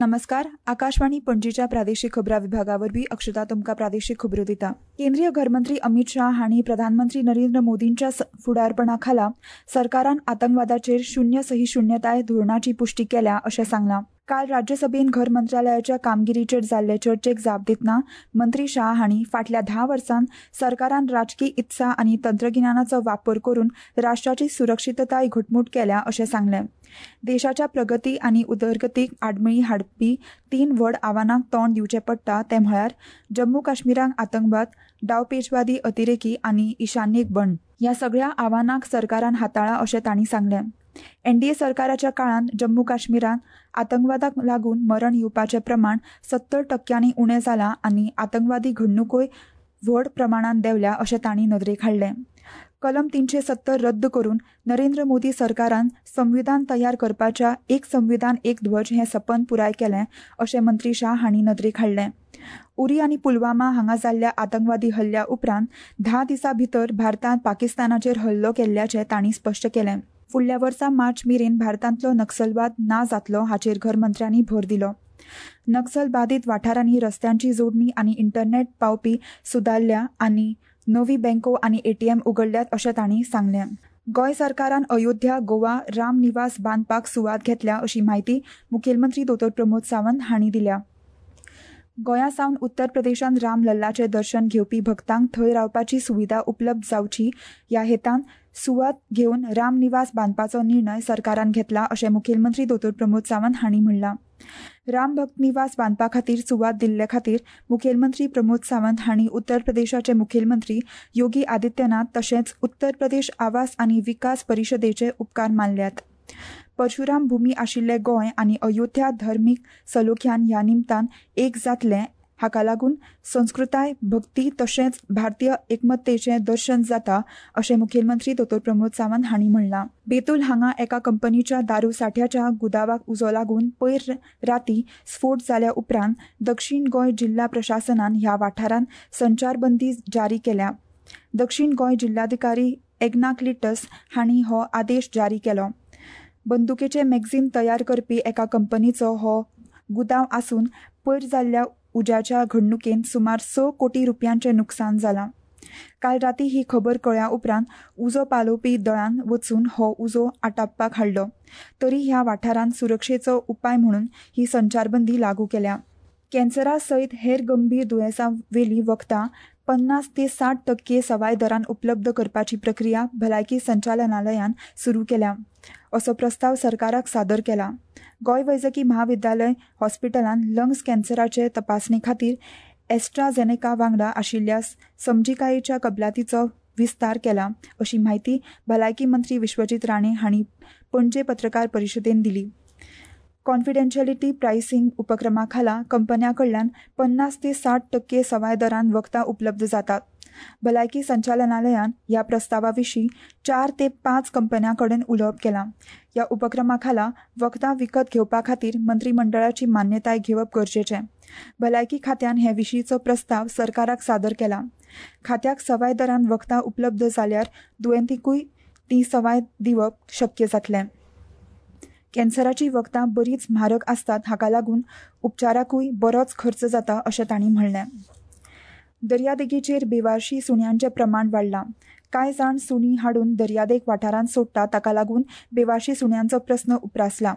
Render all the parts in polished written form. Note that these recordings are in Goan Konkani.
नमस्कार, आकाशवाणी पणजीच्या प्रादेशिक खबरा विभागा वरवीं अक्षता तुमकां प्रादेशिक खबरो दिता. केंद्रीय घरमंत्री अमित शाह हांणी प्रधानमंत्री नरेंद्र मोदींच्या फुडारपणा खाला सरकारान आतंकवादाचेर शून्य सहिष्णुताय धोरणाची पुष्टी केल्या अशें सांगलां. काल राज्यसभेन घर मंत्रालयाच्या कामगिरीचेर जाल्ले चर्चेक जाप दितना मंत्री शाह हांणी फाटल्या 10 वर्सांत सरकारान राजकी इत्सा आनी तंत्रगिन्यानाचो वापर करून राष्ट्राची सुरक्षितताय घटमूट केल्या अशें सांगलें. देशाच्या प्रगती आनी उदरगतीक आडमेळी हाडपी 3 व्हड आव्हानांक तोंड दिवचें पडटा तें म्हळ्यार जम्मू काश्मीराक आतंकवाद, डावपेचवादी अतिरेकी आनी ईशान्येक बंड. ह्या सगळ्या आव्हानांक सरकारान हाताळ्ळां अशें तांणी सांगलें. एनडीए सरकाराच्या काळांत जम्मू काश्मीरांत आतंकवादाक लागून मरण येवपाचें प्रमाण 70% उणें जालां आनी आतंकवादी घडणुकोय व्हड प्रमाणांत देंवल्या अशें तांणी नदरेक हाडलें. कलम 370 रद्द करून नरेंद्र मोदी सरकारान संविधान तयार करपाच्या एक संविधान एक ध्वज हें सपन पुराय केलें अशें मंत्री शाह हांणी नदरेक हाडलें. उरी आनी पुलवामा हांगा जाल्ल्या आतंकवादी हल्ल्या उपरांत 10 दिसां भितर भारतान पाकिस्तानाचेर हल्लो केल्ल्याचें तांणी स्पश्ट केलें. फुडल्या वर्सा मार्च मेरेन भारतांतलो नक्षलवाद ना जातलो हाचेर घरमंत्र्यांनी भर दिलो. नक्षल बादीत वाठारांनी रस्त्यांची जोडणी आनी इंटरनेट पावपी सुदारल्या आनी नवी बँको आनी एटीएम उगडल्यात अशें तांणी सांगलें. गोंय सरकारान अयोध्या गोवा राम निवास बांदपाक सुवात घेतल्या अशी म्हायती मुखेलमंत्री दोतोर प्रमोद सावंत हांणी दिल्या. गोंया सावन उत्तर प्रदेशांत राम लल्लाचें दर्शन घेवपी भक्तांक थंय रावपाची सुविधा उपलब्ध जावची ह्या हेतान सुवात घेवन राम निवास बांदपाचो निर्णय सरकारान घेतला अशें मुखेलमंत्री दोतोर प्रमोद सावंत हांणी म्हणलां. राम भक्त निवास बांदपा खातीर सुवात दिल्ले खातीर मुखेलमंत्री प्रमोद सावंत हांणी उत्तर प्रदेशाचे मुखेलमंत्री योगी आदित्यनाथ तशेंच उत्तर प्रदेश आवास आनी विकास परिशदेचे उपकार मानल्यात. परशुराम भूमी आशिल्ले गोंय आनी अयोध्या धर्मीक सलोख्यान ह्या निमतान एक जातलें हाका लागून संस्कृताय, भक्ती तशेंच भारतीय एकमत्तेचें दर्शन जाता अशें मुखेलमंत्री दोतोर प्रमोद सावंत हांणी म्हणलां. बेतूल हांगा एका कंपनीच्या दारू साठ्याच्या गुदावाक उजो लागून पयर राती स्फोट जाल्या उपरांत दक्षिण गोंय जिल्हा प्रशासनान ह्या वाठारांत संचारबंदी जारी केल्या. दक्षिण गोंय जिल्हाधिकारी एग्ना क्लिटस हांणी हो आदेश जारी केलो. बंदुकेचे मॅगझीन तयार करपी एका कंपनीचो हो गुदांव आसून पयर जाल्ल्या उज्याच्या घडणुकेन सुमार 6 कोटी रुपयांचें नुकसान जालां. काल राती ही खबर कळ्ळ्या उपरांत उजो पालोवपी दळान वचून हो उजो आटापपाक हाडलो. तरी ह्या वाठारांत सुरक्षेचो उपाय म्हणून ही संचारबंदी लागू केल्या. कॅन्सरा सयत हेर गंभीर दुयेंसां वेली वखदां 50 ते 60% सवाय दरान उपलब्ध करपाची प्रक्रिया भलायकी संचालनालयान सुरू केल्या असो प्रस्ताव सरकाराक सादर केला. गोंय वैजकी म्हाविद्यालय हॉस्पिटलान लंग्स कॅन्सराचे तपासणे खातीर एस्ट्राझेनेका वांगडा आशिल्ल्या समजिकायेच्या कबलातीचो विस्तार केला अशी म्हायती भलायकी मंत्री विश्वजीत राणे हांणी पणजे पत्रकार परिशदेन दिली. कॉन्फिडेन्शियलिटी प्रायसिंग उपक्रमा खाला कंपन्यां कडल्यान 50 ते 60% सवाय दरान वखदां उपलब्ध जातात. भलायकी संचालनालयान ह्या प्रस्तावा विशीं 4 ते 5 कंपन्यां कडेन उलोवप केलां. ह्या उपक्रमा खाला वखदां विकत घेवपा खातीर मंत्रीमंडळाची मान्यताय घेवप गरजेचें. भलायकी खात्यान हे विशींचो प्रस्ताव सरकाराक सादर केला. खात्याक सवाय दरान वखदां उपलब्ध जाल्यार दुयेंतींकूय ती सवाय दिवप शक्य जातलें. कॅन्सराची वखदां बरीच म्हारग आसतात हाका लागून उपचाराकूय बरोच खर्च जाता अशें तांणी म्हणलें. दर्यादेगेचेर बेवारशी सुण्यांचें प्रमाण वाडलां. कांय जाण सुणीं हाडून दर्यादेग वाठारांत सोडटात ताका लागून बेवारशी सुण्यांचो प्रस्न उप्रासला.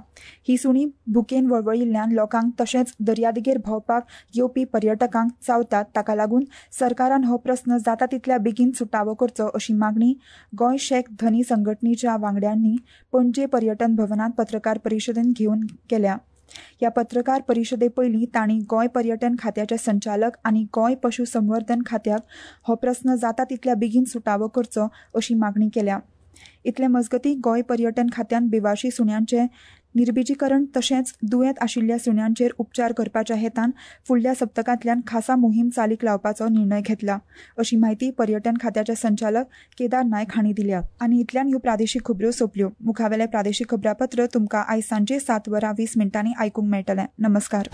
ही सुणीं भुकेन वळवळिल्ल्यान लोकांक तशेंच दर्यादेगेर भोंवपाक येवपी पर्यटकांक चावतात ताका लागून सरकारान हो प्रस्न जाता तितल्या बेगीन सुटावो करचो अशी मागणी गोंय शॅक धनी संघटनेच्या वांगड्यांनी पणजे पर्यटन भवनांत पत्रकार परिशदेन घेवन केल्या. ह्या पत्रकार परिशदे पयलीं तांणी गोंय पर्यटन खात्याचे संचालक आनी गोंय पशु संवर्धन खात्याक हो प्रस्न जाता तितल्या बेगीन सुटावो करचो अशी मागणी केल्या. इतले मजगतीं गोंय पर्यटन खात्यान बेवारशी सुण्यांचें निर्बिजीकरण तशेंच दुयेंत आशिल्ल्या सुण्यांचेर उपचार करपाच्या हेतान फुडल्या सप्तकांतल्यान खासा मोहीम चालीक लावपाचो निर्णय घेतला अशी म्हायती पर्यटन खात्याचे संचालक केदार नायक हांणी दिल्या. आनी इतल्यान ह्यो प्रादेशीक खबरो सोंपल्यो. मुखावेलें प्रादेशीक खबरापत्र तुमकां आयज सांजे 7:20 आयकूंक मेळटलें. नमस्कार.